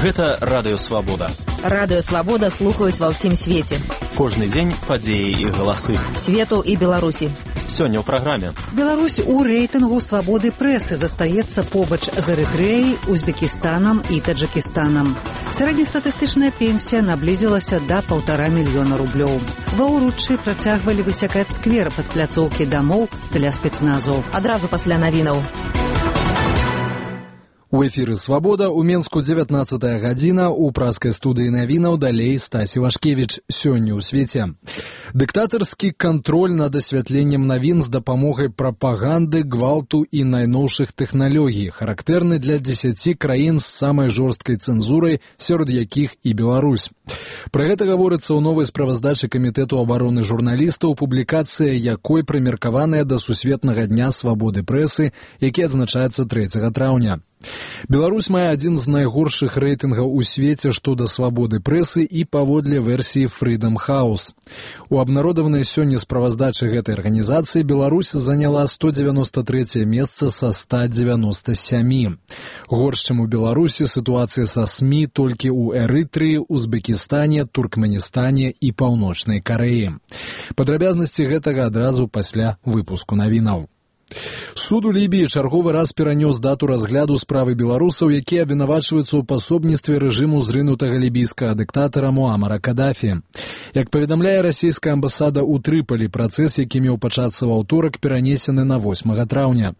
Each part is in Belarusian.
Гэта Радыё Свабода. Радыё Свабода слухаюць ва ўсім свеце. Кожны дзень падзеі і галасы. Свету і Беларусі. Сёння ў праграме. Беларусь у рэйтынгу свабоды прэсы застаецца побач з Эрытрэяй, Узбекістанам і Таджыкістанам. Сярэднестатыстычная пенсія наблізілася да 1,5 мільёна рублёў. Ва ўруччы працягвалі высякаць сквер пад пляцоўкі дамоў для спецназу. Адразу пасля навінаў. У эфіры «Свабода», у Менску 19 гадзіна, у праскай студыі навінаў далей Стась Івашкевіч. Сёння ў свеце. Дыктатарскі кантроль над асвятленнем навін з дапамогай прапаганды, гвалту і найноўшых тэхналогій, характэрны для 10 краін з самай жорсткай цэнзурай, сярод якіх і Беларусь. Пра гэта гаворыцца ў новай справаздачы Камітэту абароны журналістаў, публікацыя якой прымеркаваная да Сусветнага дня свабоды прэсы, які адзначаецца 3 траўня. Беларусь мае адзін з найгоршых рэйтынгаў у свеце што да свабоды прэсы і паводле версіі Freedom House. У абнародаванай сёння справаздачы гэтай арганізацыі Беларусь заняла 193 месца са 197. Горш, чым у Беларусі сітуацыя са СМІ толькі ў Эрытрыі, Узбекістане, Туркменістане і Паўночнай Карэі. Падрабязнасці гэтага адразу пасля выпуску навінаў. Суд у Лібіі чарговы раз перанёс дату разгляду справы беларусаў, якія абвінавачваюцца ў пасобніцтве рэжыму зрынутага лібійскага дыктатара Муамара Кадафі. Як паведамляе расійская амбасада ў Трыполі, працэс, які меў пачацца ў аўторак, перанесены на 8 траўня.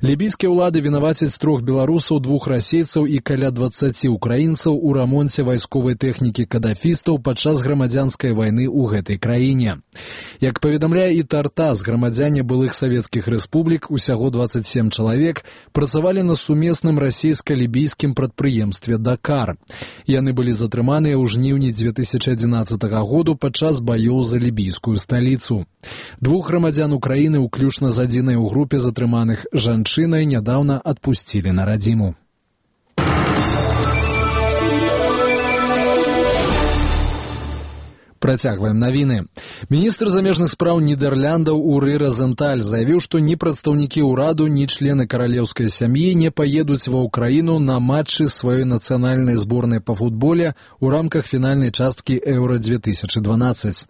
Лібійскія ўлады вінавацяць 3 беларусаў, 2 расейцаў і каля 20 украінцаў у рамонце вайсковай тэхнікі кадафістаў падчас грамадзянскай вайны ў гэтай краіне. Як паведамляе і Тартас, грамадзяне былых савецкіх рэспублік, усяго 27 чалавек, працавалі на сумесным расійска-лібійскім прадпрыемстве «Дакар». Яны былі затрыманыя ў жніўні 2011 году падчас баёў за лібійскую сталіцу. 2 грамадзян Украіны, уключна з адзінай у групе затрыманых жанчынай, нядаўна адпусцілі на радзіму. Працягваем навіны. Міністр замежных спраў Нідэрляндаў Уры Розенталь заявіў, што ні прадстаўнікі ўраду, ні члены каралеўскай сям'і не паедуць ва ўкраіну на матчы сваёй нацыянальнай зборнай па футболе ў рамках фінальнай часткі Еўра-2012.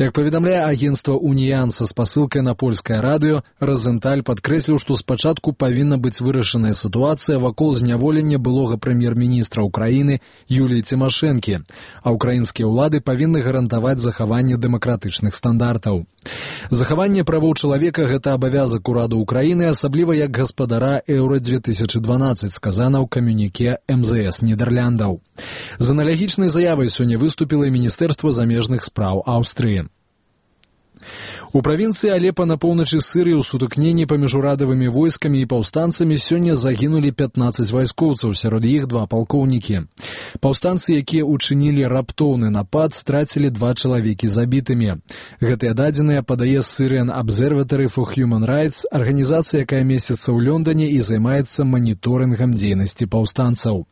Як паведамляе агенцтва «Уніян» са спасылкай на польскае радыё, Розенталь падкрэсліў, што спачатку павінна быць вырашаная сітуацыя вакол зняволення былога прэм'ер-міністра ўкраіны Юліі Цімашэнкі, а ўкраінскія ўлады павінны гарантаваць захаванне дэмакратычных стандартаў. Захаванне правоў чалавека – гэта абавязак ураду ўкраіны, асабліва як гаспадара Еўра-2012, сказана ў камюніке МЗС Нідэрляндаў. З аналагічнай заявай сёння выступіла і Міністэрства замежных спраў Аўстрыі. У правінцыі Алепа на поўначы Сырыі ў сутыкненні паміж урадавымі войскамі і паўстанцамі сёння загінулі 15 вайскоўцаў, сярод іх 2 палкоўнікі. Паўстанцы, якія ўчынілі раптоўны напад, страцілі 2 чалавекі забітымі. Гэтыя дадзеныя падае Syrian Observatory for Human Rights, арганізацыя, якая месціцца ў Лондоне і займаецца маніторынгам дзейнасці паўстанцаў.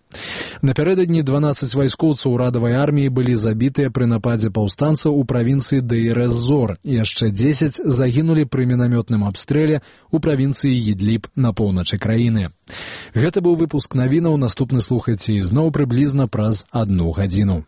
Напярэдадні 12 вайскоўцаў урадавай арміі былі забітыя пры нападзе паўстанцаў у правінцыі Дейр-эз-Зор, і яшчэ 10 загінулі пры мінамётным абстрэле ў правінцыі Ідліб на поўначы краіны. Гэта быў выпуск навінаў, наступны слухайце ізноў прыблізна праз 1 гадзіну.